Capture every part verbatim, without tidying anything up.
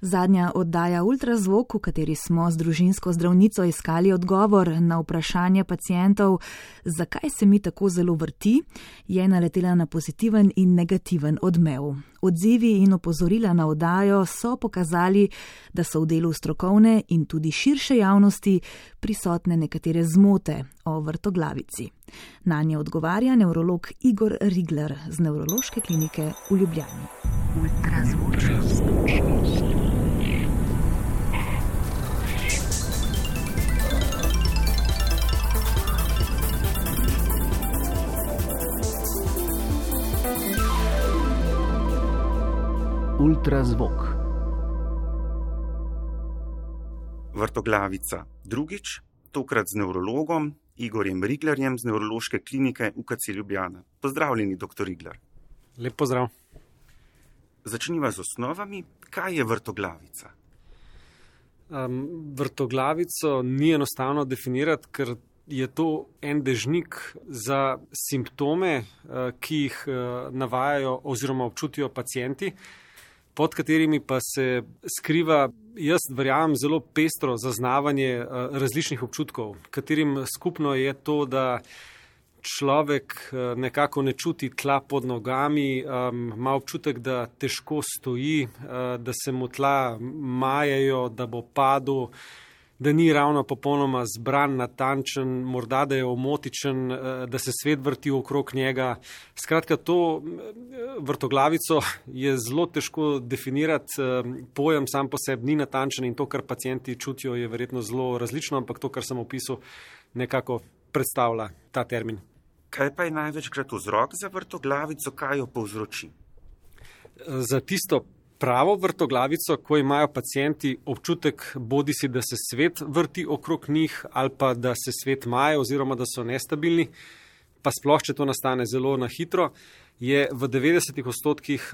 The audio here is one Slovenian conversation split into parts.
Zadnja oddaja Ultrazvok, v kateri smo z družinsko zdravnico iskali odgovor na vprašanje pacientov, zakaj se mi tako zelo vrti, je naletela na pozitiven in negativen odmev. Odzivi in opozorila na oddajo so pokazali, da so v delu strokovne in tudi širše javnosti prisotne nekatere zmote o vrtoglavici. Nanje odgovarja nevrolog Igor Rigler z Nevrološke klinike v Ljubljani. Ultrazvok. Ultrazvok. Vrtoglavica. Drugič, tokrat z nevrologom Igorjem Riglerjem z Nevrološke klinike U K C Ljubljana. Pozdravljeni, doktor Rigler. Lep pozdrav. Začniva z osnovami. Kaj je vrtoglavica? Um, vrtoglavico ni enostavno definirati, ker je to en dežnik za simptome, ki jih navajajo oziroma občutijo pacienti, pod katerimi pa se skriva, jaz verjamem, zelo pestro zaznavanje različnih občutkov, katerim skupno je to, da človek nekako ne čuti tla pod nogami, ima občutek, da težko stoji, da se mu tla majajo, da bo padel, da ni ravno popolnoma zbran, natančen, morda da je omotičen, da se svet vrti okrog njega. Skratka, to vrtoglavico je zelo težko definirati, pojem sam po sebi ni natančen in to, kar pacienti čutijo, je verjetno zelo različno, ampak to, kar sem opisal, nekako predstavlja ta termin. Kaj pa je največkrat vzrok za vrtoglavico, kaj jo povzroči? Za tisto pravo vrtoglavico, ko imajo pacienti občutek, bodi si, da se svet vrti okrog njih ali pa da se svet maje oziroma da so nestabilni, pa sploh, če to nastane zelo na hitro, je v devetdesetih odstotkih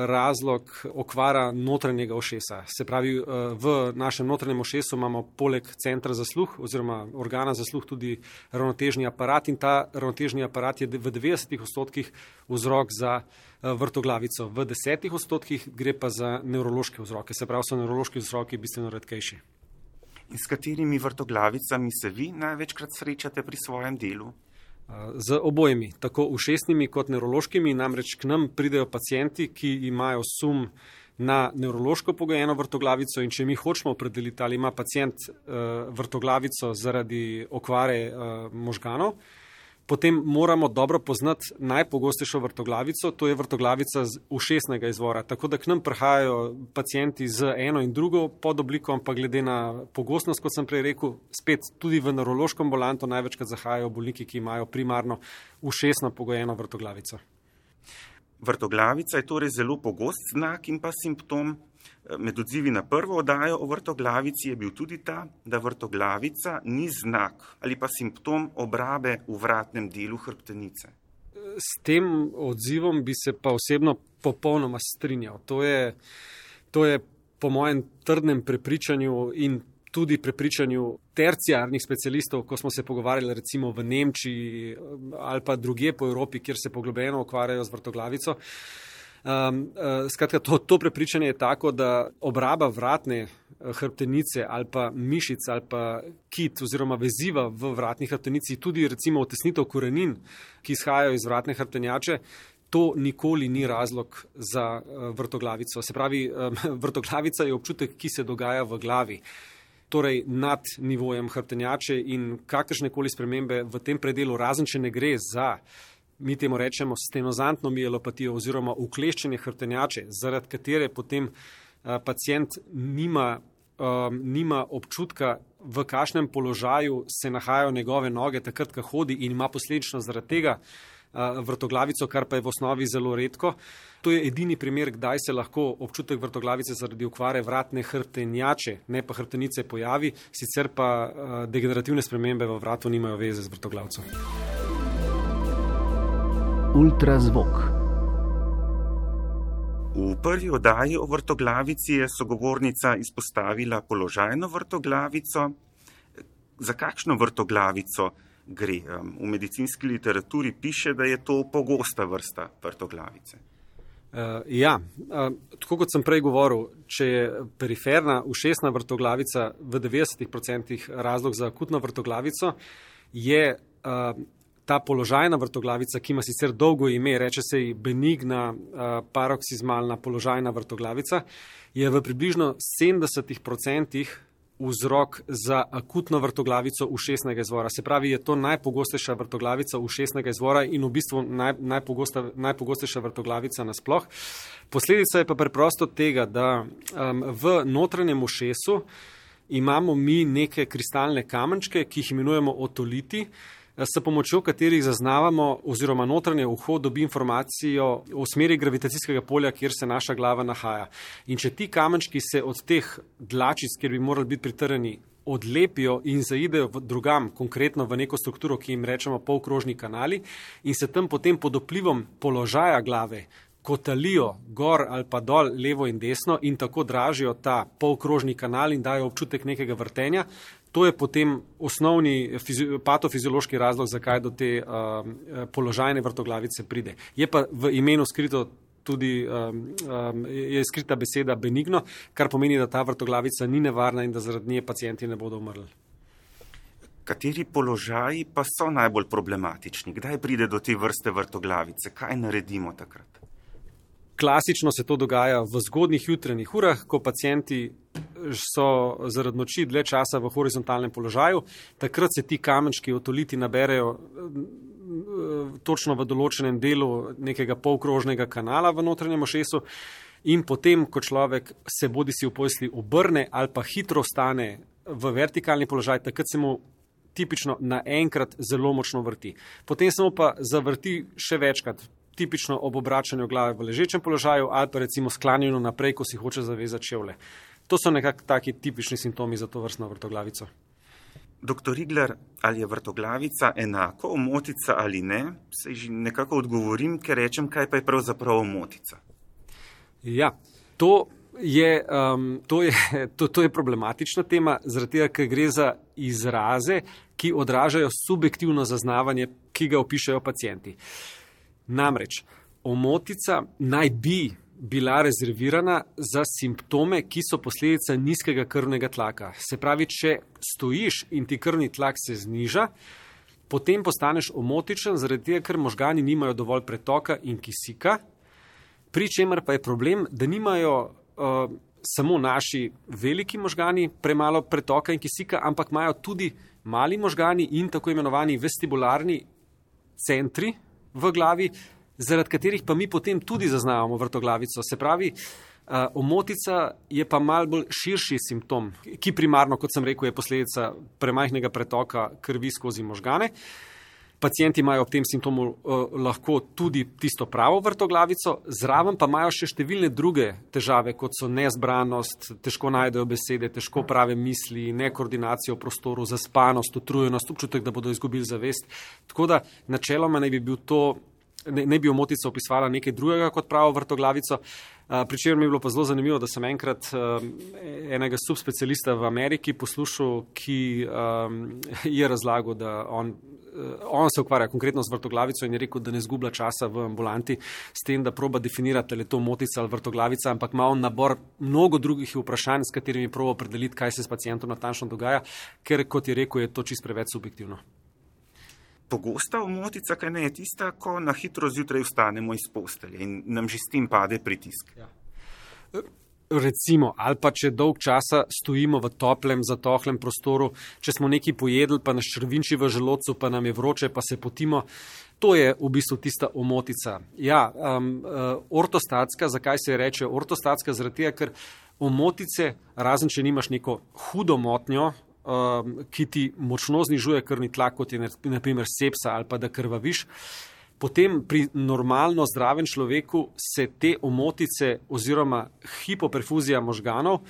razlog okvara notranjega ušesa. Se pravi, v našem notranjem ušesu imamo poleg centra za sluh oziroma organa za sluh tudi ravnotežni aparat in ta ravnotežni aparat je v devetdesetih odstotkih vzrok za vrtoglavico. V desetih odstotkih gre pa za nevrološke vzroke, se pravi, so nevrološki vzroki bistveno redkejši. In s katerimi vrtoglavicami se vi največkrat srečate pri svojem delu? Z obojimi, tako ušesnimi kot nevrološkimi, namreč k nam pridejo pacienti, ki imajo sum na nevrološko pogojeno vrtoglavico in če mi hočemo opredeliti, ali ima pacient uh, vrtoglavico zaradi okvare uh, možganov, potem moramo dobro poznati najpogostejšo vrtoglavico, to je vrtoglavica z ušesnega izvora. Tako da k nam prihajajo pacienti z eno in drugo podobliko, ampak glede na pogostnost, kot sem prej rekel, spet tudi v nevrološko ambulanto največkrat zahajajo bolniki, ki imajo primarno ušesno pogojeno vrtoglavico. Vrtoglavica je torej zelo pogost znak in pa simptom. Med odzivi na prvo oddajo o vrtoglavici je bil tudi ta, da vrtoglavica ni znak ali pa simptom obrabe v vratnem delu hrbtenice. S tem odzivom bi se pa osebno popolnoma strinjal. To je, to je po mojem trdnem prepričanju in tudi prepričanju terciarnih specialistov, ko smo se pogovarjali recimo v Nemčiji ali pa drugje po Evropi, kjer se poglobljeno ukvarjajo z vrtoglavico. Um, uh, skratka, to, to prepričanje je tako, da obraba vratne hrbtenice ali pa mišic ali pa kit oziroma veziva v vratni hrbtenici, tudi recimo otesnitev korenin, ki izhajajo iz vratne hrbtenjače, to nikoli ni razlog za uh, vrtoglavico. Se pravi, um, vrtoglavica je občutek, ki se dogaja v glavi, torej nad nivojem hrbtenjače in kakršnekoli spremembe v tem predelu, razen če ne gre za, mi temu rečemo, stenozantno mielopatijo oziroma ukleščenje hrbtenjače, zaradi katere potem uh, pacient nima, um, nima občutka, v kakšnem položaju se nahajajo njegove noge takrat, ko hodi in ima posledično zaradi tega uh, vrtoglavico, kar pa je v osnovi zelo redko. To je edini primer, kdaj se lahko občutek vrtoglavice zaradi okvare vratne hrbtenjače, ne pa hrbtenice, pojavi, sicer pa uh, degenerativne spremembe v vratu nimajo veze z vrtoglavcem. Ultrazvok. V prvi oddaji o vrtoglavici je sogovornica izpostavila položajno vrtoglavico. Za kakšno vrtoglavico gre? V medicinski literaturi piše, da je to pogosta vrsta vrtoglavice. Uh, ja, uh, tako kot sem prej govoril, če je periferna ušesna vrtoglavica v devetdesetih odstotkih razlog za akutno vrtoglavico, je uh, ta položajna vrtoglavica, ki ima sicer dolgo ime, reče se ji benigna uh, paroksizmalna položajna vrtoglavica, je v približno sedemdesetih odstotkih vzrok za akutno vrtoglavico ušesnega izvora. Se pravi, je to najpogostejša vrtoglavica ušesnega izvora in v bistvu naj, najpogosta, najpogostejša vrtoglavica nasploh. Posledica je pa preprosto tega, da um, v notranjem ušesu imamo mi neke kristalne kamenčke, ki jih imenujemo otoliti, s pomočjo katerih zaznavamo oziroma notranje uho dobi informacijo o smeri gravitacijskega polja, kjer se naša glava nahaja. In če ti kamenčki se od teh dlačic, kjer bi morali biti pritrjeni, odlepijo in zaidejo v drugam, konkretno v neko strukturo, ki jim rečemo polkrožni kanali, in se tam potem pod vplivom položaja glave kotalijo gor ali pa dol, levo in desno in tako dražijo ta polkrožni kanal in dajo občutek nekega vrtenja, to je potem osnovni patofiziološki razlog, zakaj do te uh, položajne vrtoglavice pride. Je pa v imenu skrito tudi um, um, je skrita beseda benigno, kar pomeni, da ta vrtoglavica ni nevarna in da zaradi nje pacienti ne bodo umrli. Kateri položaji pa so najbolj problematični? Kdaj pride do te vrste vrtoglavice? Kaj naredimo takrat? Klasično se to dogaja v zgodnjih jutranjih urah, ko pacienti so zaradi noči dlje časa v horizontalnem položaju. Takrat se ti kamenčki otoliti naberejo točno v določenem delu nekega polkrožnega kanala v notranjem ušesu in potem, ko človek se bodi si v posli obrne ali pa hitro stane v vertikalni položaj, takrat se mu tipično naenkrat zelo močno vrti. Potem se mu pa zavrti še večkrat, tipično ob obračanju glave v ležečem položaju ali pa recimo sklanjeno naprej, ko si hoče zavezati čevlje. To so nekako taki tipični simptomi za to vrstno vrtoglavico. Doktor Rigler, ali je vrtoglavica enako omotica ali ne? Se že nekako odgovorim, ker rečem, kaj pa je pravzaprav omotica. Ja, to je, um, to je, to, to je problematična tema, zaradi tega, ker gre za izraze, ki odražajo subjektivno zaznavanje, ki ga opišajo pacienti. Namreč, omotica naj bi bila rezervirana za simptome, ki so posledica nizkega krvnega tlaka. Se pravi, če stojiš in ti krvni tlak se zniža, potem postaneš omotičen, zaradi tega, ker možgani nimajo dovolj pretoka in kisika, pri čemer pa je problem, da nimajo uh, samo naši veliki možgani premalo pretoka in kisika, ampak imajo tudi mali možgani in tako imenovani vestibularni centri v glavi, zaradi katerih pa mi potem tudi zaznavamo vrtoglavico. Se pravi, uh, omotica je pa malo bolj širši simptom, ki primarno, kot sem rekel, je posledica premajhnega pretoka krvi skozi možgane. Pacienti imajo ob tem simptomu uh, lahko tudi tisto pravo vrtoglavico, zraven pa imajo še številne druge težave, kot so nezbranost, težko najdejo besede, težko prave misli, nekoordinacijo v prostoru, zaspanost, utrujenost, občutek, da bodo izgubili zavest. Tako da načeloma naj bi bil to, ne, ne bi omotica opisovala nekaj drugega kot pravo vrtoglavico. Uh, pri čemer mi je bilo pa zelo zanimivo, da sem enkrat uh, enega subspecialista v Ameriki poslušal, ki um, je razlagal, da on On se ukvarja konkretno z vrtoglavico in je rekel, da ne zgublja časa v ambulanti s tem, da proba definirati, ali je to omotica ali vrtoglavica, ampak ima on nabor mnogo drugih vprašanj, s katerimi proba opredeliti, kaj se s pacientom natančno dogaja, ker, kot je rekel, je to čisto preveč subjektivno. Pogosta omotica, kaj ne, je tista, ko na hitro zjutraj vstanemo iz postelje in nam že s tem pade pritisk. Ja. Recimo, ali pa če dolg časa stojimo v toplem, zatohlem prostoru, če smo nekaj pojedli, pa nas črvinči v želodcu, pa nam je vroče, pa se potimo, to je v bistvu tista omotica. Ja, um, uh, ortostatska, zakaj se reče ortostatska? Zaradi tega, ker omotice, razen če nimaš neko hudo motnjo, um, ki ti močno znižuje krvni tlak, kot je na primer sepsa ali pa da krvaviš, potem pri normalno zdravem človeku se te omotice oziroma hipoperfuzija možganov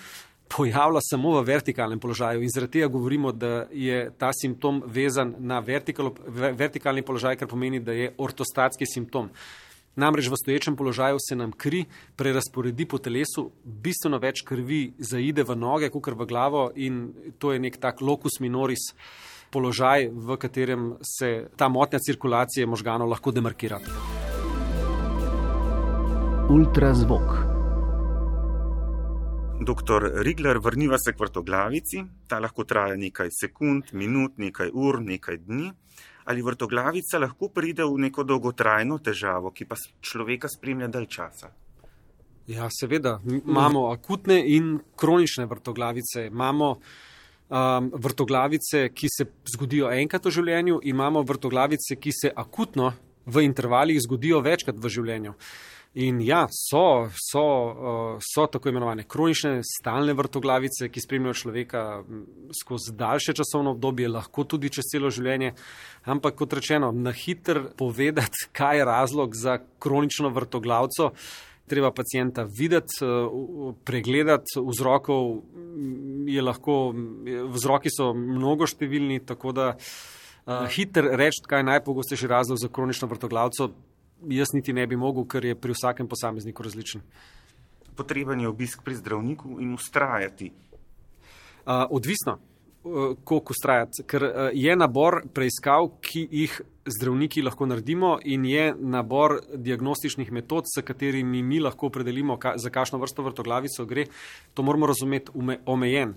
pojavlja samo v vertikalnem položaju in zaradi tega govorimo, da je ta simptom vezan na vertikal, vertikalni položaj, kar pomeni, da je ortostatski simptom. Namreč v stoječem položaju se nam kri prerazporedi po telesu, bistveno več krvi zaide v noge, kakor v glavo in to je nek tak locus minoris položaj, v katerem se ta motnja cirkulacije možganov lahko demarkira. Ultrazvok. Doktor Rigler, vrniva se k vrtoglavici. Ta lahko traja nekaj sekund, minut, nekaj ur, nekaj dni. Ali vrtoglavica lahko pride v neko dolgotrajno težavo, ki pa človeka spremlja dalj časa? Ja, seveda. Imamo akutne in kronične vrtoglavice. Imamo um, vrtoglavice, ki se zgodijo enkrat v življenju, imamo vrtoglavice, ki se akutno v intervalih zgodijo večkrat v življenju. In ja, so, so, uh, so tako imenovane kronične, stalne vrtoglavice, ki spremljajo človeka skozi daljše časovno obdobje, lahko tudi čez celo življenje. Ampak kot rečeno, na hitro povedati, kaj je razlog za kronično vrtoglavico, treba pacienta videti, pregledati, vzrokov je lahko, vzroki so mnogoštevilni, tako da uh, hitro reči, kaj je najpogostejši razlog za kronično vrtoglavico, jaz niti ne bi mogel, ker je pri vsakem posamezniku različen. Potreben je obisk pri zdravniku in ustrajati. Uh, odvisno, uh, koliko ustrajati, ker uh, je nabor preiskav, ki jih zdravniki lahko naredimo in je nabor diagnostičnih metod, s katerimi mi lahko opredelimo, ka, za kakšno vrsto vrtoglavico gre. To moramo razumeti ume, omejen.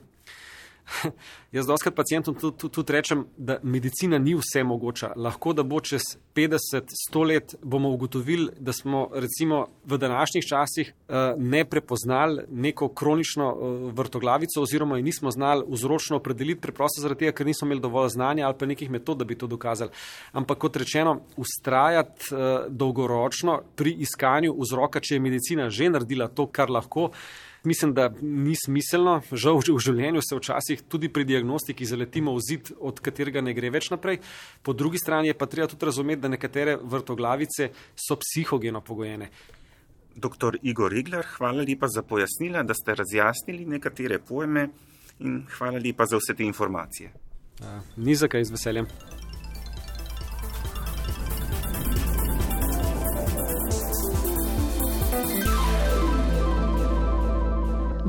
Jaz dostakrat pacientom tudi, tudi, tudi rečem, da medicina ni vse mogoča. Lahko, da bo čez petdeset, sto let bomo ugotovili, da smo recimo v današnjih časih uh, ne prepoznali neko kronično uh, vrtoglavico oziroma jo nismo znali vzročno opredeliti, preprosto zaradi tega, ker nismo imeli dovolj znanja ali pa nekih metod, da bi to dokazali. Ampak kot rečeno, ustrajati uh, dolgoročno pri iskanju vzroka, če je medicina že naredila to, kar lahko, mislim, da ni smiselno. Žal v življenju se včasih tudi pri diagnostiki zaletimo v zid, od katerega ne gre več naprej. Po drugi strani je pa treba tudi razumeti, da nekatere vrtoglavice so psihogeno pogojene. Doktor Igor Rigler, hvala lepa za pojasnila, da ste razjasnili nekatere pojme in hvala lepa za vse te informacije. A, ni za kaj, z veseljem.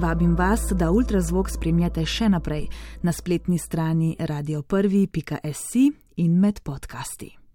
Vabim vas, da ultrazvok spremljate še naprej na spletni strani radio prvi pika si in med podcasti.